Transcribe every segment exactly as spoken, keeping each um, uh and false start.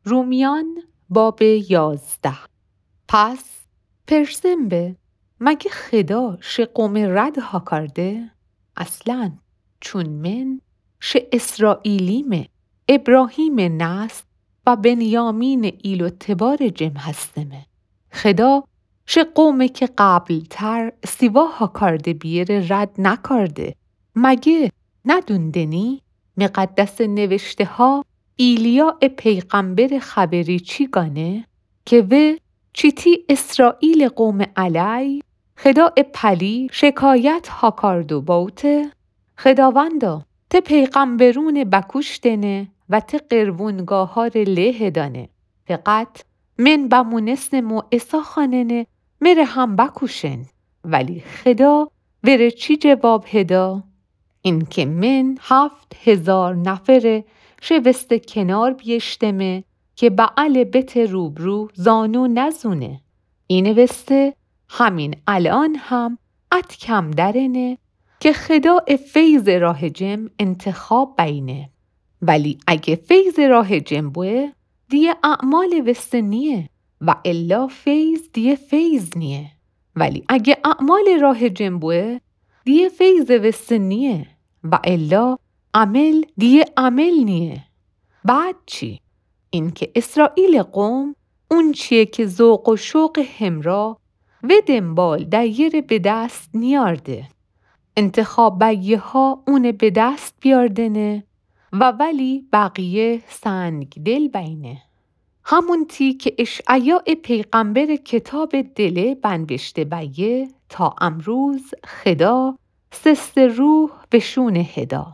رومیان باب یازده. پس پرسم به، مگه خدا شه قوم رد ها کرده؟ اصلاً، چون من شه اسرائیلیمه، ابراهیم نسل و بنیامین ایل و تبار جم هستمه. خدا شه قومه که قبل‌تر سیوا ها کرده بیره رد نکرده. مگه ندوندنی؟ مقدس نوشته ها ایلیا پیغمبر خبری چی گانه؟ که وه چیتی اسرائیل قوم علی خدا پلی شکایت ها کرد و باوته، خداوندا، ته پیغمبرون بکوشتنه و ته قربونگاهار له دانه. فقط من بمونستم و عصا خواننه مره هم بکوشن. ولی خدا وره چی جواب هدا؟ اینکه من هفت هزار نفره شه وسته کنار بیشتمه که بعل بت روبرو زانو نزونه. اینه وسته همین الان هم ات کم درنه که خدا فیض راه جم انتخاب بینه. ولی اگه فیض راه جم بوه، دیه اعمال وسته نیه و الا فیض دیه فیض نیه. ولی اگه اعمال راه جم بوه، دیه فیض وسته نیه و الا عمل دیه عمل نیه. بعد چی؟ اینکه اسرائیل قوم اون چیه که ذوق و شوق همرا و دنبال دیره به دست نیارده. انتخاب بیه ها اونه به دست بیاردنه و ولی بقیه سنگ دل بینه. همون تی که اشعیا پیغمبر کتاب دله بنوشته بیه تا امروز خدا سست روح وشونه هدا.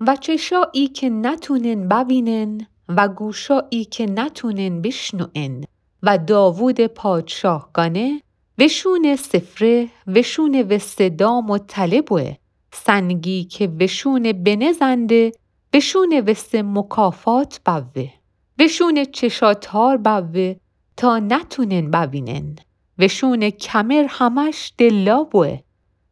و چشایی که نتونن بوینن و گوشایی که نتونن بشنون و داوود پادشاه گانه وشون سفره وشون وسته دام و تله بوه، سنگی که وشون بنه زنده وشون وسته مکافات بوه، وشون چشا تار بوه تا نتونن بوینن، وشون کمر همش دلا بوه.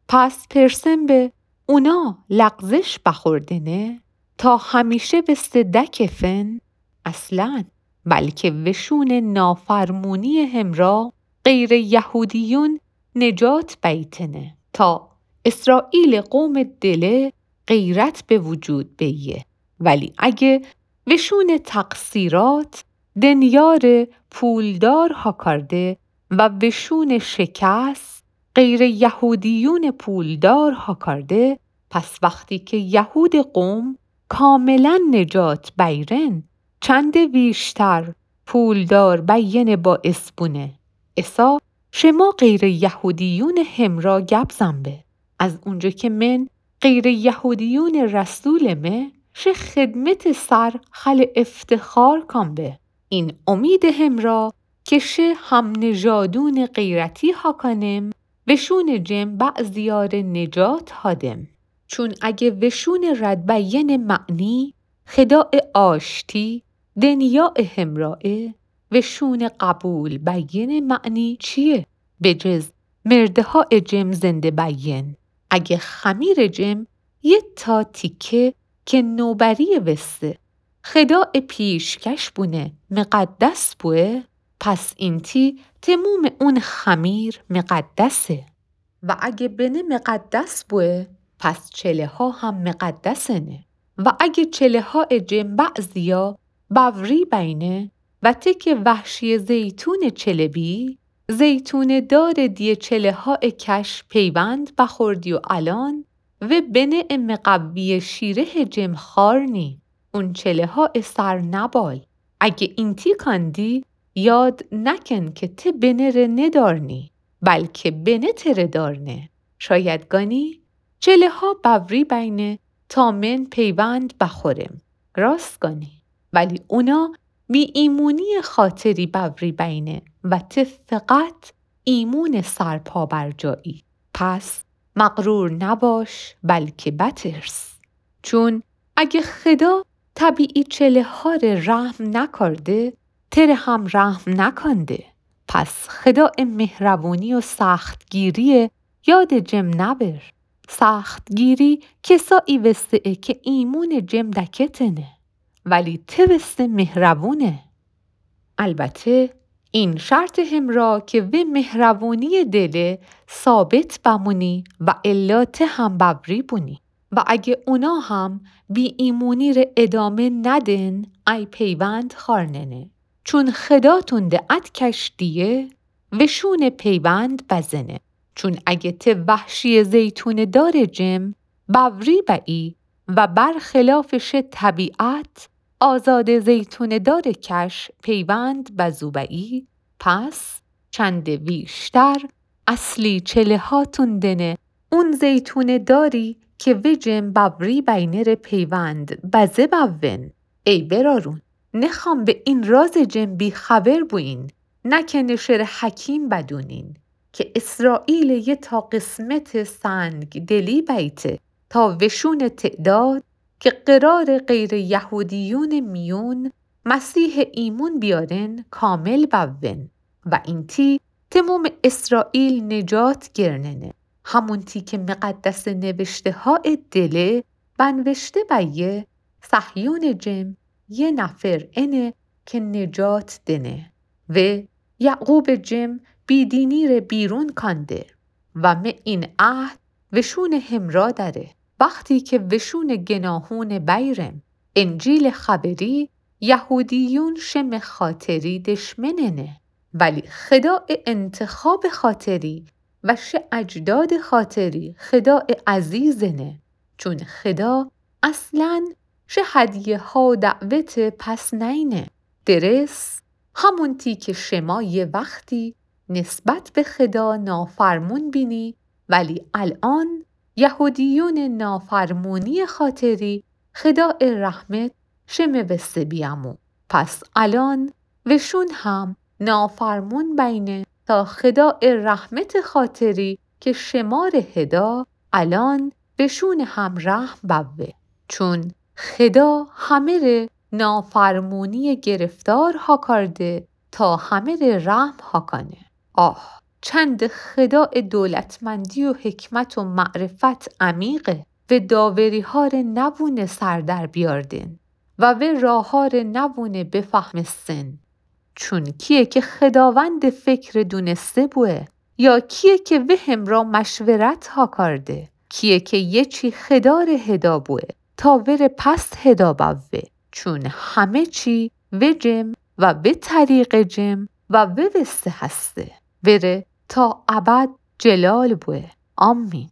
پس پرسم به اونا لغزش بخوردنه تا همیشه وسته دکفن؟ اصلاً، بلکه وشون نافرمونی همرا غیر یهودیون نجات بیتنه تا اسرائیل قوم دله غیرت به وجود بیه. ولی اگه وشون تقصیرات دنیار پولدار ها کرده و وشون شکست غیر یهودیون پولدار ها کرده، پس وقتی که یهود قوم کاملاً نجات بیرن، چند ویشتر پولدار بین باعث بونه. اسا شما غیر یهودیون همرا گپ زن به. از اونجا که من غیر یهودیون رسولمه، شه خدمت سر خل افتخار کن به. این امید همرا که شه هم نژادون غیرتی ها کنم، وشون جم بعضیار نجات ها دم. چون اگه وشون رد بیین معنی خداع آشتی دنیاع همراه، وشون قبول بیین معنی چیه؟ به جز مرده ها جم زنده بیین. اگه خمیر جم یه تا تیکه که نوبری وسته خداع پیشکش بونه مقدس بوه، پس اینتی تموم اون خمیر مقدسه. و اگه بنه مقدس بوه، پس چله ها هم مقدسنه. و اگه چله ها جم بعضیا بوری بینه و تک وحشی زیتون چله بی، زیتون دار دیه چله ها کش پیوند بخوردی و الان و بنه مقوی شیره جم خارنی، اون چله ها سر نبال. اگه اینتی کندی، یاد نکن که ته بنه ره ندارنی، بلکه بنه تره دارنه. شاید گانی چله ها بوری بینه تا من پیوند بخورم. راست گانی. ولی اونا بی ایمونی خاطری بوری بینه و ته فقط ایمون سرپا بر جایی. پس مغرور نباش، بلکه بترس. چون اگه خدا طبیعی چله ها ره رحم نکرده، تره هم رحم نکنده. پس خداع مهربونی و سختگیری یاد جم نبر. سختگیری کسایی وسته‌ئه که ایمون جم دکتنه، ولی ته وسته مهربونه. البته این شرط همرا که وی مهربونی دله ثابت بمونی و الا ته هم باوری بونی و اگه اونا هم بی ایمونی ره ادامه ندن، ای پیوند خارننه. چون خداتون ده اد کش دیه وشون پیوند بزنه. چون اگه ته وحشی زیتون دار جم باوری بایی و برخلاف شه طبیعت آزاد زیتون دار کش پیوند بزو بایی، پس چند ویشتر اصلی چله هاتون دنه اون زیتون داری که وجم باوری بینه ره پیوند بزه باوین. ای برارون، نخوام به این راز جم بی‌خبر بوین، نکنه شه ره حکیم بدونین که اسرائیل یه تا قسمت سنگ دلی بیته تا وشون تعداد که قرار غیر یهودیون میون مسیح ایمون بیارن کامل بوون و اینتی تموم اسرائیل نجات گرننه. همونتی که مقدس نوشته‌ها دله بنوشته بیه صهیون جم یه نفر انه که نجات دنه. و یعقوب جم بیدینی ره بیرون کانده و مه این عهد وشون همرا دره. وقتی که وشون گناهون بیرم انجیل خبری یهودیون شم خاطری دشمننه، ولی خداء انتخاب خاطری و شه اجداد خاطری خداء عزیزنه. چون خدا اصلاً شه هدیه‌ها دعوت پس نینه. درست همونتی که شما یه وقتی نسبت به خدا نافرمون بینی، ولی الان یهودیون نافرمونی خاطری خداء رحمت شم وسه بیامو. پس الان وشون هم نافرمون بینه تا خداء رحمت خاطری که شمار هدا الان وشون هم رحم بوه. چون خدا همه ره نافرمونی گرفتار هاکارده تا همه ره رحم هاکانه. آه، چند خداء دولتمندی و حکمت و معرفت عمیقه و داوری‌ها ره نوونه سر در بیاردن و و راه‌ها ره نوونه بفهمستن. چون کیه که خداوند فکر دونسته بوه، یا کیه که و همرا مشورت هاکارده، کیه که یه چی خدا ره هدا بوه تا وره پس هدا بوه. چون همه چی و جم و و طریق جم و و وسته هسته. وره تا ابد جلال بوه. آمین.